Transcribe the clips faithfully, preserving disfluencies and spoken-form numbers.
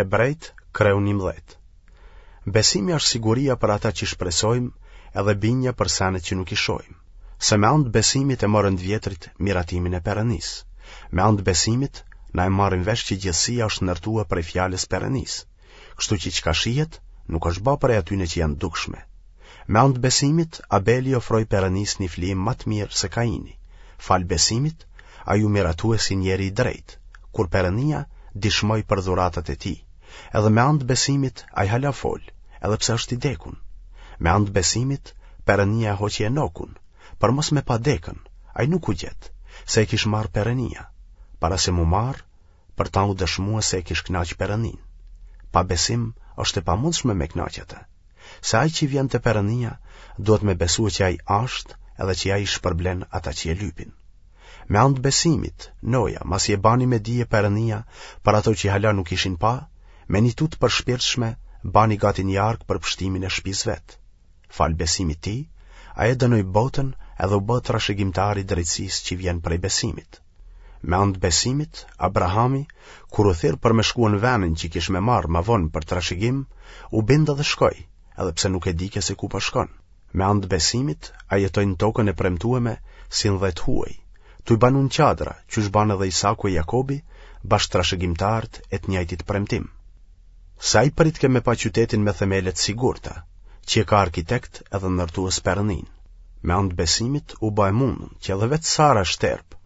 Hebrejt, kreu njëmbëdhjetë. Besimi është siguria për ata që shpresojmë edhe bindja për senet që nuk i shohim. Se me anë të besimit e morën të vjetrit miratimin e Perënisë. Me anë të besimit na e marrim vesh që gjithësia është ndërtuar prej fjalës Perënisë. Kështu që çka shihet nuk është ba prej atyne që janë dukshme. Me anë të besimit Abeli ofroi Perënisë një flijim ma të mirë se Kaini. Falë besimit ai u miratue si njeri i drejtë, kur Perënia dishmoi për dhuratat e tij. Edhe me anë të besimit ai hala fol, edhe pse është i dekun. Me anë të besimit Perënia e hoqi Enokun, për mos me pa dekën, ai nuk u gjet, se e kish marrë Perënia. Para se m'u marrë, për ta u dëshmua se e kish knaq Perëninë. Pa besim është e pamundshme me knaq atë. Se ai që vjen te Perënia, duhet me besue që ai është edhe që ai shpërblen ata që e lypin. Me anë të besimit, Noja, masi e bani me dije Perënia për ato që hala nuk ishin pa, me një tutë përshpirtshme, bani gati një arkë për pështimin e shpisë vet. Falë besimit tij, ai e dënoi botën edhe u bë trashëgimtar i drejtësisë që vjen prej besimit. Me anë të besimit, Abrahami, kur u thirr për me shkue në venin që kish me marrë ma vonë për trashëgim, u bind edhe shkoi, edhe pse nuk e dike se ku po shkon. Me anë të besimit, ai jetoi në tokën e premtueme si në dhe të huaj, tuj banu në çadra, qysh banë edhe Isaku e Jakobi, bashkë trashëgimtarët e të njëjtit premtim. Se ai pritke me pa qytetin me themele të sigurta, që e ka arkitekt edhe ndërtues Perëninë. Me anë të besimit u bë e mundun që edhe vetë Sara shterp,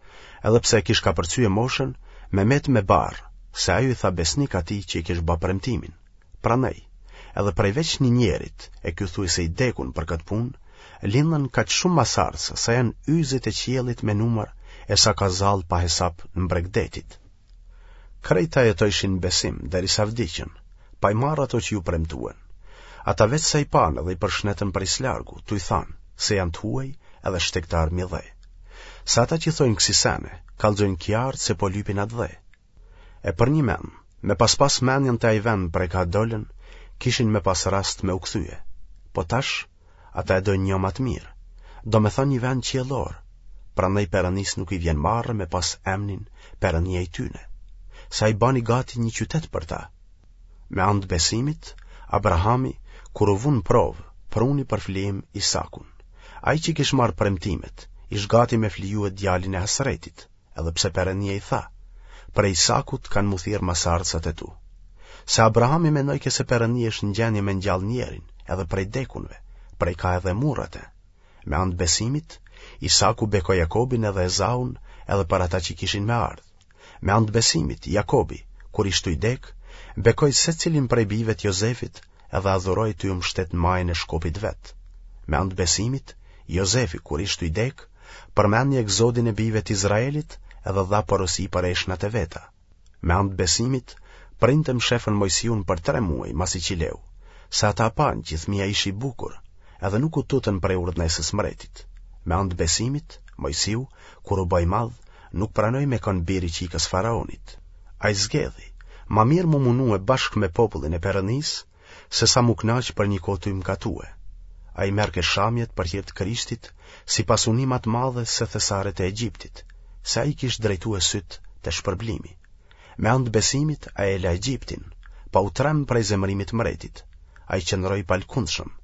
edhe pse e kish kapërcye moshën, me met me barrë, se ajo i tha besnik atij që i kish bë premtimin. Prandaj, edhe prej veç një njerit, e ky thuaj se i dekun për këtë punë, lindën kaq shumë masarësa, sa janë yzet e qiellit me numër e sa ka zall pa hesap në bregdetit. Krejt ata jetojshin në besim, derisa vdiqën, pa i marrë ato që ju premtuen. Ata veç sa i panë dhe i përshnetën prej s'largu, tuj thanë, se janë të huaj edhe shtegtar mi dhe. Se ata që thojnë kësi sene, kallxojnë qartë se po lypin atdhe. E për një men, me pas pas menjen te ai vend prej ka dolën, kishin me pas rast me u kthye. Po tash, ata e dojnë një ma të mirë, do me thënë një vend qiellor, prandaj Perënisë nuk i vjen marrë me pas emnin Perënia i tyne, se ai bani gati një qytet për ta. Me anë të besimit, Abrahami, kur u vu në provë, pruni për flijim Isakun. Ai që kish marrë premtimet, ish gati me flijue djalin e hasretit, edhe pse Perënia i tha, prej Isakut kanë m'u thirrë masarësat e tu. Se Abrahami mendojke se Perënia është në gjendje me ngjall njerin, edhe prej dekunve, prej ka edhe murr atë. Me anë të besimit, Isaku bekoi Jakobin edhe Ezaun edhe për ata që kishin me ardhë. Me anë të besimit, Jakobi, kur ish tuj dek, bekoi secilin prej bijve të Jozefit edhe adhuroi tuj u mbështet në majën e shkopit vet. Me anë të besimit, Jozefi, kur ish tuj dek, përmendi egzodin e bijve të Izraelit edhe dha porosi për eshtnat e veta. Me anë të besimit, prindët e mshefën Mojsiun për tre muaj masi që leu, se ata panë që fëmija ish i bukur, edhe nuk u tutën prej urdhnesës mbretit. Me anë të besimit, Mojsiu, kur u bë i madh, nuk pranoi me kanë bir i qikës faraonit. Ai zgedhi, ma mirë m'u munue bashkë me popullin e Perënisë, se sa m'u knaq për një kohë tuj mkatue. Ai merrke shamjet për hir të Krishtit, si pasuni ma të madhe se thesaret e Egjiptit, se ai kish drejtue sytë te shpërblimi. Me anë të besimit ai e la Egjiptin, pa u tremb prej zemërimit mbretit. Ai qëndroi i palkundshëm,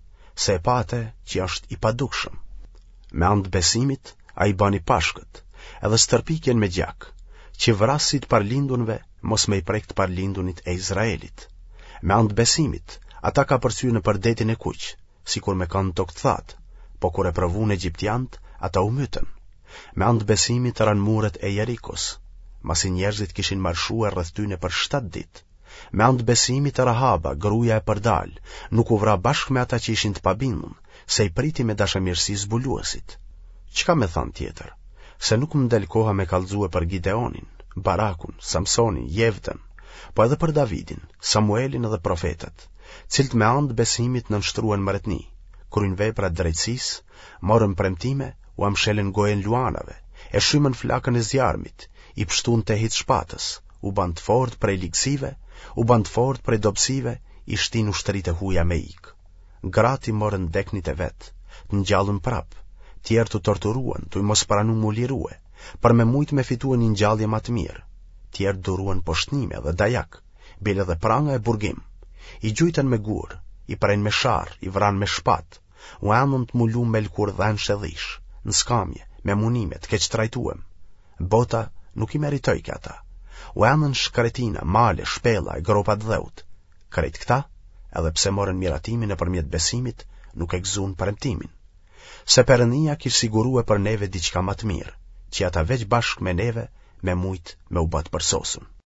se e pa atë që është i padukshëm. Me anë të besimit ai bani pashkët, edhe stërpikjen me gjak, që vrasësi i të parlindunve mos me i prek të parlindunit e Izraelit. Me anë të besimit, ata kapërcyen nëpër detin e kuq, sikur me kanë tokë të thatë, po kur e provuan egjiptianët, ata u mytën. Me anë të besimit ranë muret e Jerikos, masi njerëzit kishin marshuar rreth tyne për shtatë ditë. Me anë të besimit Rahaba, gruaja e përdal, nuk u vra bashkë me ata që ishin të pabindun, se i priti me dashamirësi zbuluesit. Çka me thanë tjetër? Se nuk më del koha me kallxue për Gideonin, Barakun, Samsonin, Jevtën, po edhe për Davidin, Samuelin edhe profetët, cilët me anë të besimit nënshtruan mbretni, kryen vepra të drejtësisë, morën premtime, ua mshelën gojën luanave, e shymën flakën e zjarmit, i pështuan tehit shpatës, u banë të fortë prej ligësive, u banë të fortë prej dobësive, i shtin ushtritë e huja me ikë. Gratë i morën deknit e vet, të ngjallun prap, tjerë u torturuan, tuj mos pranu m'u lirue, për me mujt me fitue një ngjallje ma të mirë. Tjerë duruan poshtnime dhe dajak, bile edhe pranga e burgim. I gjujtën me gurë, i prenë me sharrë, i vranë me shpatë, u endën të mulum me lëkurë dhensh e dhish, në skamje, me munime, të keqtrajtuem. Bota nuk i meritojke ata. U endën shkretina, male, shpella e gropa të dheut. Krejt këta, edhe pse morën miratimin nëpërmjet besimit, nuk e gëzuan premtimin. Se Perënia kish sigurue për neve diçka ma të mirë, që ata veç bashkë me neve me mujt me u ba të përsosun.